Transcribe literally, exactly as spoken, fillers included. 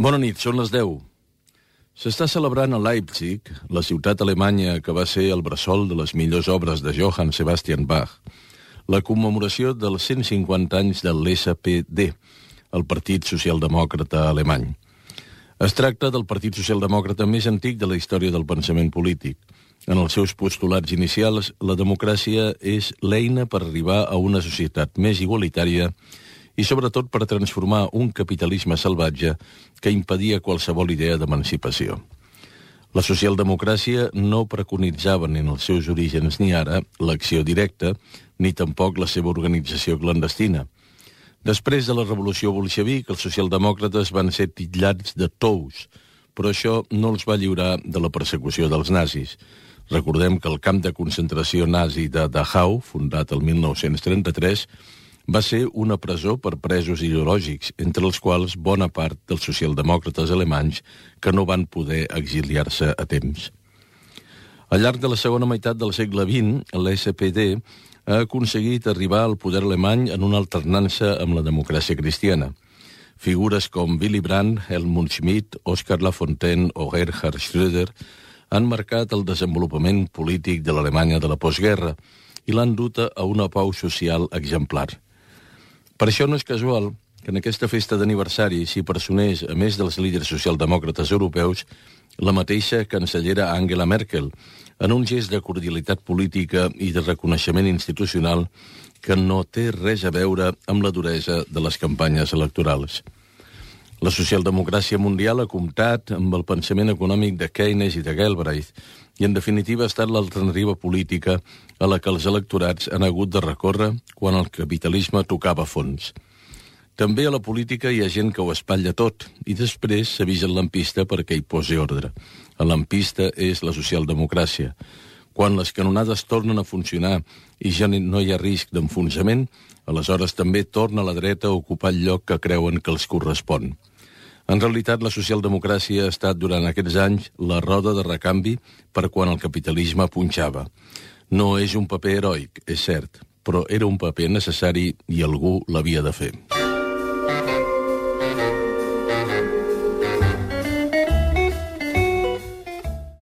Bona nit, són les deu. S'està celebrant a Leipzig, la ciutat alemanya que va ser el bressol de les millors obres de Johann Sebastian Bach, la commemoració dels cent cinquanta anys de l'S P D, el Partit Socialdemòcrata Alemany. Es tracta del Partit Socialdemòcrata més antic de la història del pensament polític. En els seus postulats inicials, la democràcia és l'eina per arribar a una societat més igualitària i sobretot per transformar un capitalisme salvatge que impedia qualsevol idea d'emancipació. La socialdemocràcia no preconitzava ni en els seus orígens ni ara l'acció directa, ni tampoc la seva organització clandestina. Després de la revolució bolxevic, els socialdemòcrates van ser titllats de tous, però això no els va lliurar de la persecució dels nazis. Recordem que el camp de concentració nazi de Dachau, fundat el mil nou-cents trenta-tres, va ser una presó per presos ideològics, entre els quals bona part dels socialdemòcrates alemanys que no van poder exiliar-se a temps. Al llarg de la segona meitat del segle vint, l'S P D ha aconseguit arribar al poder alemany en una alternança amb la democràcia cristiana. Figures com Willy Brandt, Helmut Schmidt, Oskar Lafontaine o Gerhard Schröder han marcat el desenvolupament polític de l'Alemanya de la postguerra i l'han dut a una pau social exemplar. Per això no és casual que en aquesta festa d'aniversari s'hi personés, a més dels líders socialdemòcrates europeus, la mateixa cancellera Angela Merkel, en un gest de cordialitat política i de reconeixement institucional que no té res a veure amb la duresa de les campanyes electorals. La socialdemocràcia mundial ha comptat amb el pensament econòmic de Keynes i de Galbraith i, en definitiva, ha estat l'alternativa política a la que els electorats han hagut de recórrer quan el capitalisme tocava fons. També a la política hi ha gent que ho espatlla tot i després s'avisa el lampista perquè hi posi ordre. El lampista és la socialdemocràcia. Quan les canonades tornen a funcionar i ja no hi ha risc d'enfonsament, aleshores també torna la dreta a ocupar el lloc que creuen que els correspon. En realitat, la socialdemocràcia ha estat durant aquests anys la roda de recanvi per quan el capitalisme punxava. No és un paper heroic, és cert, però era un paper necessari i algú l'havia de fer.